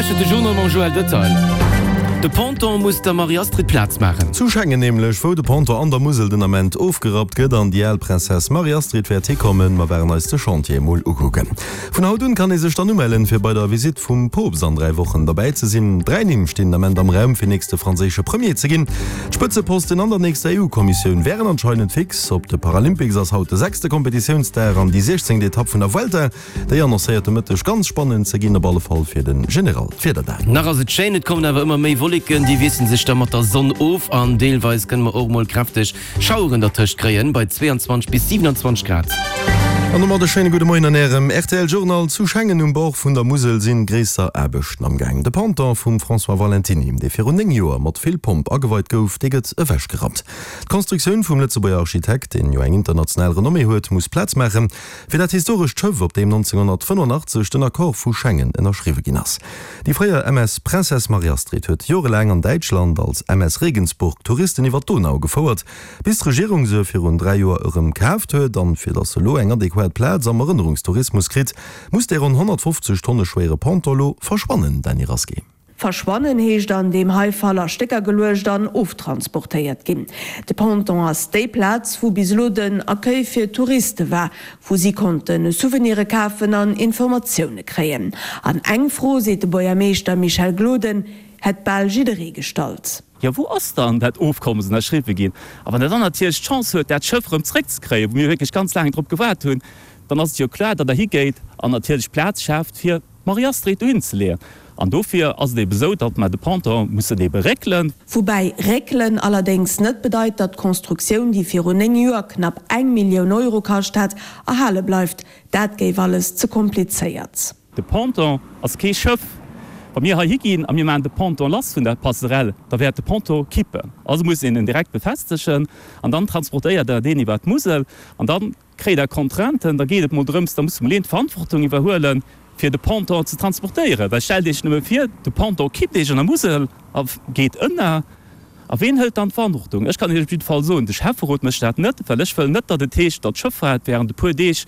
lauschtert de Journal mam Joël Detail. De Ponton muss der Marie-Astrid Plaz maachen. Zu Schengen nämlech, wou de Ponton an der Musel den Ament ofgerappt gëtt an déi al Princesse Marie-Astrid wäert hikommen. Mer waren eis de Chantier emol ukucken. Vun haut un kann ee sech dann umellen, fir bei der Visitt vum Poopst an 3 Wochen derbäi ze sinn. 3 Nimm stinn den Ament am Raum, fir nächste franséische Premier ze ginn. D'Spëtzeposten an der nächster EU-Kommissioun wären anscheinend fix. Op de Paralympics ass haut de sechste Kompetitiounsdag an déi 16. Etapp vun der Vuelta. Déi annoncéiert de Mëtteg ganz spannend ze ginn, op alle Fall fir de General. D'Wieder dan. Nach ass et schéin, et kommen awer ëmmer méi Wolleken, déi wiessele sech da mat der Sonn of an deelweis kënne mer och mol kräfteg Schaueren dertëscht kréien, bei 22 bis 27 Grad. An domat e schéine gudde Moien an Ärem rtl Journal. Zu Schengen um Bord vun der Musel sinn gréisser Aarbechten am Gaang. De Ponton vum François Valentiny, dee virun 9 Joer mat vill Pomp ageweit gouf, dee gëtt ewechgerappt. D'Constructioun vum Lëtzebuerger Architekt, deen jo eng international Renommée huet, muss Plaz maachen. Fir dat historescht Schëff, op deem 1985 den Accord vu Schengen ënnerschriwwe ginn ass. Déi fréier MS Princesse Marie-Astrid huet jorelaang an Däitschland als MS Regensburg Touristen iwwer d'Donau gefouert, bis d'Regierung se virun 3 Joer erëm kaaft huet. An fir datt se elo eng adequat Plaz am Erënnerungstourismus kritt, muss dee ronn 150 Tonne schwéiere Ponton elo verschwannen, Dany Rasqué. Verschwannen heescht an deem hei Fall a Stécker geluecht an oftransportéiert ginn. De Ponton ass déi Plaz, wou bis elo den Accueil fir Touriste war, wou si konnte Souvenire kafen an Informatioune kréien. An eng Fro, seet de Buergermeeschter Michel Gloden, hätt bal jidderee gestallt. Jo, wou ass dann dat Ofkommes ënnerschriwwe ginn? A wann Der dann natierlech d'Chance huet, dat Schëff erëm zréckzekréien, wou mir wierklech ganz laang drop gewaart hunn, dann ass et jo kloer, datt Der higéit an natierlech Plaz schaaft, fir D'Marie-Astrid dohin ze leeën. An dofir ass et ebe sou, datt mer de Ponton mussen ebe réckelen. Woubäi réckelen allerdéngs net bedeit, datt d'Constructioun, déi virun 9 Joer knapp eng Millioun Euro kascht hat, erhale bleift. Dat géif alles ze komplizéiert. De Ponton ass kee Schëff. Wa mir hei higinn a mir maachen de Ponton lass vun der Passerelle, da wäert de Ponton kippen. Also muss een en direkt befestegen an dann transportéiert Der deen iwwer d'Musel an dann Kréit Der Contrainten, da geet et mol drëms, da muss mol een d'Verantwortung iwwerhuelen, fir de Ponton ze transportéieren. Well stellt Iech nëmme vir, de Ponton kippt Iech an der Musel a geet ënner. A ween hëlt dann d'Verantwortung? Ech kann Iech op jidde Fall soen, de Schäfferot mécht dat net, well ech wëll net, datt et heescht, datt d'Schëffaart während e puer Deeg,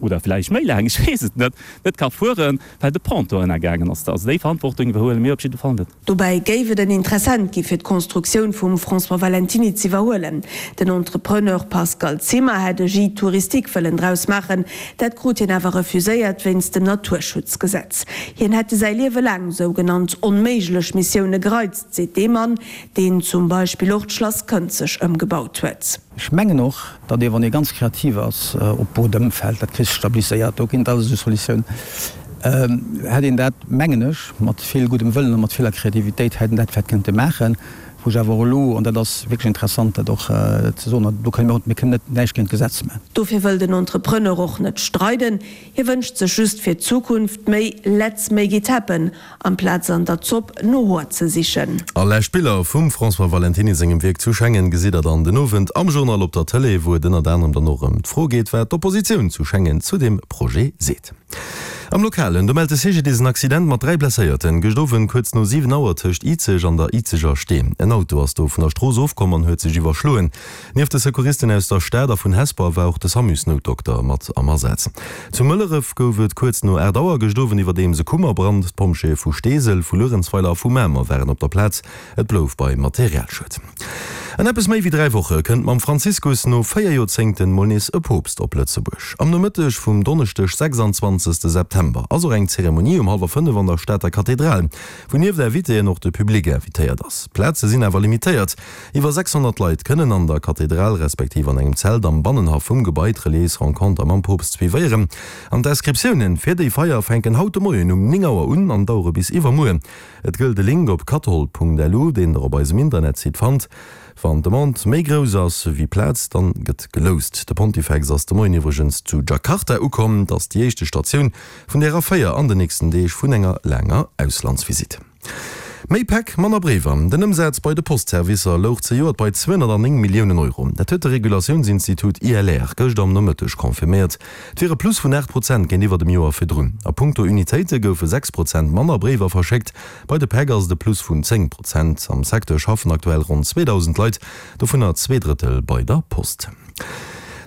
oder vläicht méi laang, ech weess et net, net ka fueren, well de Ponton ënnergaangen ass. Also déi Verantwortung iwwerhuele mir op jidde Fall net. Dobäi géif et en Interessent gi fir d'Constructioun vum François Valentiny z'iwwerhuelen. Den Entrepreneur Pascal Zimmer hätt e Gîte touristique wëllen draus maachen. Dat krut hien awer refuséiert wéinst dem Naturschutzgesetz. Hien hätte säi Liewe laang sougenannt onméiglech Missioune gereizt, seet dee Mann, deen zum Beispill och d'Schlass Kënzeg ëmgebaut huet. Ech mengen och, datt ee wann ee ganz kreativ ass, op Bodem fält, dat kriss stabiliséiert, do ginn et alles esou Solutiounen, hätt een dat, mengen ech, mat vill guddem Wëllen a mat viller Kreativitéit hätt een dat vläicht kënnte maachen. Wou ech awer och elo, an dat ass wierklech interessant dat och ze soen, do kënne mir och, mir kënnen net näischt géint d'Gesetz maachen. Dofir wëll den Entrepreneur och net streiden. Hie wënscht sech just fir d'Zukunft méi Let's make it happen amplaz an der Zopp no Hoer ze sichen. A lescht Biller vum François Valentiny sengem Wierk zu Schengen gesitt der dann den Owend am Journal op der Tëlee, wou et ënnert anerem dann och ëm d'Fro geet, wat d'Oppositioun zu Schengen zu deem Projet seet. Am Lokalen, do mellt de CGDIS en Accident mat 3 Blesséierten, gëscht Owend kuerz no 7 Auer tëscht Izeg an der Izeger Stee. En Auto ass do vun der Strooss ofkomm an huet sech iwwerschloen. Nieft de Secouristen aus der Stad a vun Hesper war och de Samusnoutdokter mat am Asaz. Zu Mëlleref gouf et kuerz no 8 Auer gëscht Owend iwwerdeems e Kummerbrand. D'Pompjeeë vu Steesel, vu Luerenzweiler a vu Mamer waren op der Plaz. Et blouf bei Materialschued. An eppes méi wéi 3 Woche kënnt mam Franziskus no 4 Joerzéngten mol nees e Poopst op Lëtzebuerg. Am Nomëtteg vum Donneschdeg 26 September ass och eng Zeremonie um hallwer 5 an der Stater Kathedral, wou nieft Invitéen och de Public invitéiert ass. D'Plaze sinn awer limitéiert. Iwwer 600 Leit kënnen an der Kathedral, respektiv an engem Zelt am Bannenhaff vum Gebai d'reliéis Renconter mam Poopst suivéieren. An d'Inscriptiounen fir déi Feier fänken haut de Moien um 9 Auer un an dauere bis iwwermuer. Et gëllt e Link op kathol.lu, deen der op eisem Internetsite fannt. Wann d'Demande méi grouss ass wéi Plaz, dann gëtt geloust. De Pontifex ass de Moien iwwregens zu Jakarta ukomm. Et ass déi éischte Statioun vun der Aféier an den nächsten Deeg vun enger laanger Auslandsvisitt. Méi Päck, manner Bréiwer, Den Ëmsaz bei de Postservicer louch zejoert bei 209 Milliounen Euro. Dat huet de Regulatiounsinstitut ILR gëscht am Nomëtteg confirméiert. Et wier e Plus vun 8 Prozent géintiwwer dem Joer virdrun. A punkto Unitéite goufe 6 Prozent manner Bréiwer verschéckt. Bei de Päck ass et e Plus vun 10 Prozent. Am Secteur schaffen aktuell ronn 2.000 Leit, dovunner zwee Drëttel bei der Post.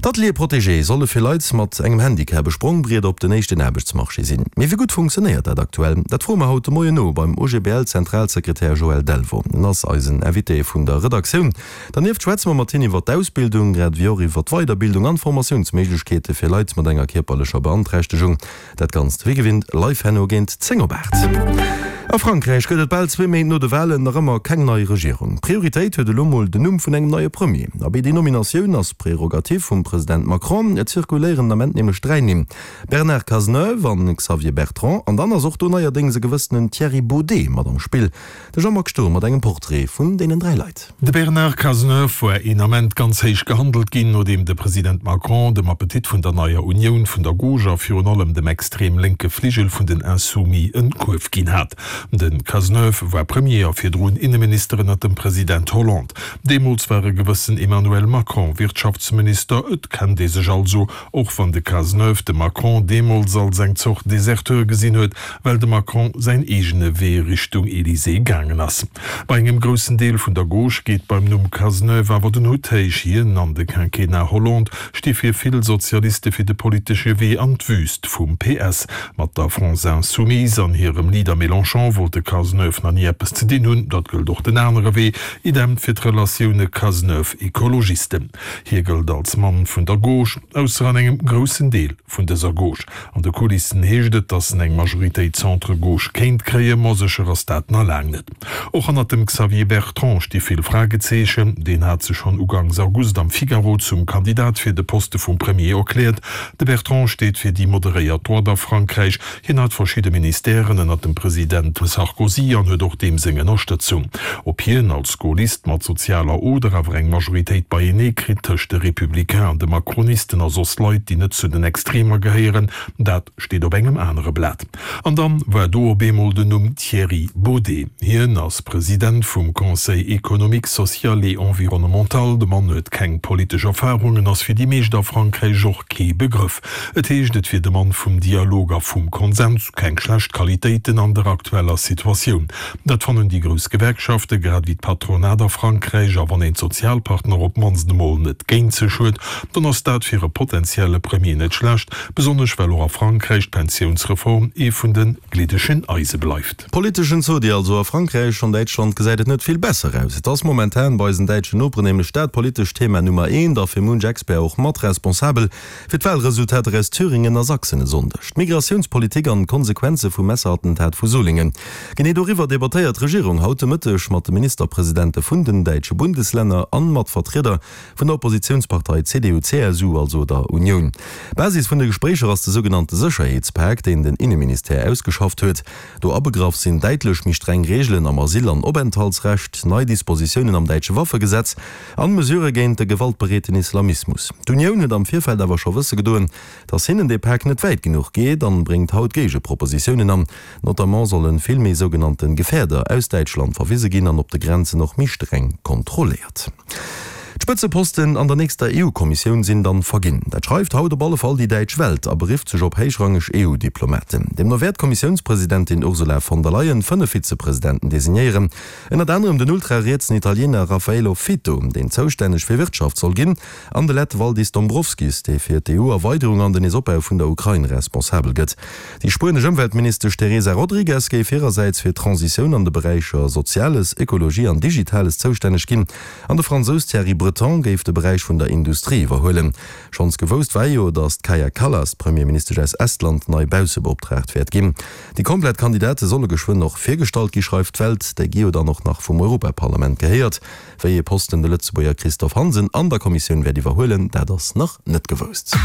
D'Ateliers protégés solle fir Leit mat engem Handicap e Sprongbriet op den éischten Aarbechtsmarché sinn. Mee wéi gutt funktionéiert dat aktuell? Dat froe mer haut de Moien no beim OGBL-Zentralsekretär Joël Delvaux. En ass eisen Invité vun der Redaktioun. Dernieft schwätze mer mat hien iwwer d'Ausbildung, grad ewéi och iwwer d'Weiderbildung an d'Formatiounsméiglechkeete fir Leit mat enger kierperlecher Beanträchtegung. Dat Ganzt wéi gewinnt live herno géint 10 op 8. A Frankräich gëtt et bal zwee Méint no de Walen nach ëmmer keng nei Regierung. Prioritéit huet elo mol den Numm vun engem neie Premier. Abee déi Nominatioun ass Prerogativ vum President Macron. Et zirkuléieren den Ament nämlech 3 Nimm, Bernard Cazeneuve an Xavier Bertrand an dann ass och do neierdéngs e gewëssenen Thierry Baudet mat am Spill. De Jean-Marc Sturm mat engem Portrait vun deenen 3 Leit. De Bernard Cazeneuve war een Ament ganz héich gehandelt ginn, nodeem de President Macron dem Appetit vun der neier Unioun vun der Gauche a virun allem dem extrem lénke Fligel vun den Insoumis en Kuerf ginn hat. De Cazeneuve war Premier a virdrun Inneminister ënnert dem President Hollande. Deemools war e gewëssen Emmanuel Macron Wirtschaftsminister. Et kennt ee sech also, och wann de Cazeneuve de Macron deemools als eng Zort Deserteur gesinn huet, well de Macron säin eegene Wee Richtung Elysée gaangen ass. Bei engem groussen Deel vun der Gauche geet beim Numm Cazeneuve awer den Hutt héich. Hien an de Quinquennat Hollande sti fir vill Sozialiste fir de politesche Wee an d'Wüst vum PS. Mat der France Insoumise an hirem Leader Mélenchon wollt de Cazeneuve nach ni eppes ze dinn hunn. Dat gëllt och den anere Wee, idem fir d'Relatioune Cazeneuve-Ecologisten. Hie gëllt als Mann vun der Gauche, ausser an engem groussen Deel vun dëser Gauche. An de Kulissen heescht et, datt en eng Majoritéit Centre-Gauche kéint kréien, ma sécher ass dat na laang net. Och hannert dem Xavier Bertrand sti vill Fragezeechen. Deen hat sech schonn ugangs August am Figaro zum Kandidat fir de Poste vum Premier erkläert. De Bertrand steet fir déi moderéiert Droite a Frankräich. Hien hat verschidde Ministèren ënnert dem President Sarkozy an huet och deem seng Ënnerstëtzung. Ob hien als Gaullist mat sozialer Oder awer eng Majoritéit beienee kritt tëscht de Républicains an de Macronisten a soss Leit, déi net zu den Extremer gehéieren, dat steet op engem anere Blat. An dann war do op eemol den Numm Thierry Baudet. Hien ass President vum Conseil économique, social et environnemental. De Mann huet keng politesch Erfarungen, ass fir déi meescht a Frankräich och kee Begrëff. Et heescht, et wier de Mann vum Dialog a vum Konsens, keng schlecht Qualitéiten an der aktueller Situatioun. Dat fannen déi grouss Gewerkschafte grad ewéi d'Patronat a Frankräich. A wann een d'Sozialpartner op d'mannst emol net géint sech huet, dann ass dat fir e potentielle Premier net schlecht, besonnesch well och a Frankräich d'Pensiounsreform ee vun de gliddegen Eise bleift. Politeschen Zodi also a Frankräich. An Däitschland gesäit et net vill besser aus. Et ass momentan bei eisen däitschen Noperen nämlech dat politescht Thema Nummer eent a fir munch Expert och mat responsabel fir d'Wahlresultater aus Thüringen a Sachsen e Sonndeg. D'Migratiounspolitik an d'Konsequenze vum Messerattentat vu Solingen. Genee doriwwer debattéiert d'Regierung haut de Mëtteg mat de Ministerpresidente vun den däitsche Bundeslänner an mat Vertrieder vun der Oppositiounspartei CDU-CSU, also der Unioun. Basis vun de Gespréicher ass de sougenannte Sécherheetspak, deen den Inneministère ausgeschafft huet. Do abegraff sinn däitlech méi streng Reegelen am Asyl an Openthaltsrecht, nei Dispositiounen am däitsche Waffegesetz an Mesurë géint de gewaltbereeten Islamismus. D'Unioun huet am Virfeld awer scho wësse gedoen, datt hinnen dee Pak net wäit genuch geet an bréngt haut Géigepropositiounen an. Notamment solle vill méi sougenannte Gefährder aus Däitschland verwise ginn an op de Grenzen och méi streng kontrolléiert. D'Spëtzeposten an der nächster EU-Kommissioun sinn dann verginn. Dat schreift haut op alle Fall déi däitsch Welt a berifft sech op héichrangeg EU-Diplomaten. Deemno wäert d'Kommissiounspresidentin Ursula von der Leyen 5 Vizepresidenten designéieren, ënnert anerem den ultrarietsen Italiener Raffaello Fitto, deen zoustänneg fir Wirtschaft soll ginn, an de Lett Valdis Dombrovskis, dee fir d'EU-Erweiderung an den Neesopbau vun der Ukrain responsabel gëtt. Déi spuenesch Ëmweltministesch Teresa Rodriguez géif hirersäits fir d'Transitioun an de Beräicher Soziales, Ekologie an Digitales zoustänneg ginn an de Fransous Thierry Breton géif de Beräich vun der Industrie iwwerhuelen. Schonns gewousst war jo, datt d'Kaja Kallas, d'Premierministesch aus Estland, nei Baussebeoptraagt wäert ginn. Déi komplett Kandidate solle geschwënn och virgestallt gi, schreift d'Welt. Déi gi jo dann och nach vum Europaparlament gehéiert. Wéi ee Posten de Lëtzebuerger Christophe Hansen an der Kommissioun wäert iwwerhuelen, dat ass nach net gewousst.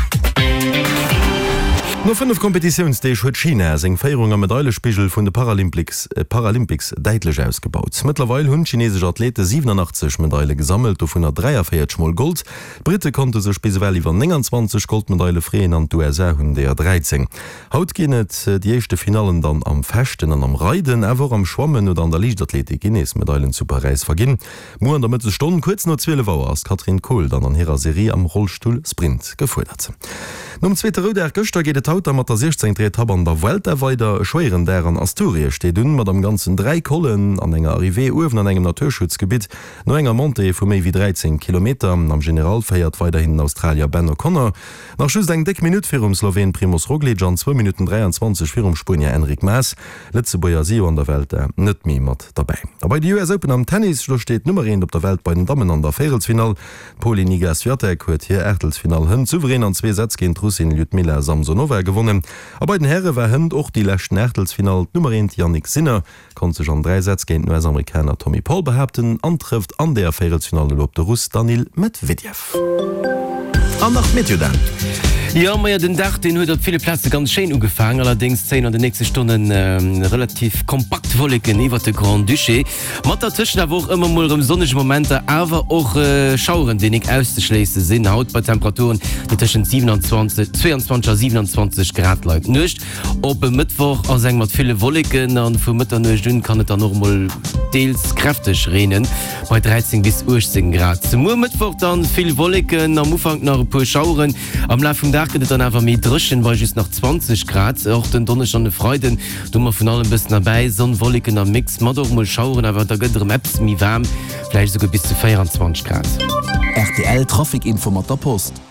No 5 Kompetitiounsdeeg huet China seng Féierung am Medailespigel vun de Paralympics däitlech ausgebaut. Mëttlerweil hunn d'chinesesch Athlete 87 Medaile gesammelt, dovunner 43 mol Gold. D'Britte konnte sech bis ewell iwwer 29 Goldmedaile freeën an d'USA hunn deeër 13. Haut ginn et déi éischte Finallen dann am Fechten an am Reiden, awer och am Schwammen oder an der Liichtathletik ginn nees Medailen zu Paräis verginn. Muer an der Mëttesstonn, kuerz no 12 Auer, ass d'Katrin Kohl dann an hirer Serie am Rollstull-Sprint gefuerdert. Nom zweete Roudag gëschter geet et haut. haut da mat der 16. Etapp an der Vuelta weider. E schwéieren Dag an Asturie steet un, mat am Ganzen 3 Collen an enger Arrivée uewen an engem Naturschutzgebitt. No enger Montée vu méi wéi 13 Kilometer. Am General féiert weiderhin den Australier Ben O'Connor. Nach just eng déck Minutt virum Sloween Primoz Roglic an zwou Minutten 23 virum Spuenier Enric Mas. Lëtzebuerger si jo an der Vuelta net méi mat derbäi. A bei de US Open am Tennis, do steet d'Nummer eent op der Welt bei den Dammen an der Véierelsfinall. D'Polin Iga Swiatek huet hir Aachtelsfinall hënt souverän an zwee Sätz géint d'Russin Ljudmila Samsonova gewonnen. A bei den Häre war hënt och déi leschten Aachtelsfinall. D'Nummer eent Jannik Sinner konnt sech an 3 Sätz géint den US-Amerikaner Tommy Paul behaapten an trëfft an deeër Véierelsfinall elo op de Russ Daniil Medvedev. An nach d'Meteo Dan. Jo, majo, den Dag deen huet op ville Plaze ganz schéin ugefaang, allerdéngs zéien an de nächste Stonne relativ kompakt Wolleken iwwert de Grand-Duché, mat dertëschent awer och ëmmer mol erëm sonnege Momenter, awer och Schaueren, déi nik auszeschléisse sinn. Haut bei Temperaturen, déi tëschent 27, 22 a 27 Grad leien. D'Nuecht Op e Mëttwoch ass eng mat ville Wolleken an vu Mëtternuecht un kann et dann och mol deels kräfteg reenen, bei 13 bis 18 Grad. Muer Mëttwoch dann vill Wolleken, am Ufank nach e puer Schaueren, am Laf vum Dag gëtt et dann awer méi dréchen, bei just nach 20 Grad. Och den Donneschden an de Freiden, do hu mer vun allem bëssen derbäi, Sonn, Wolleken am Mix mat och mol Schaueren, awer da gëtt et erëm eppes méi waarm, vläicht esouguer bis zu 24 Grad. Rtl Trafic Info mat der Post.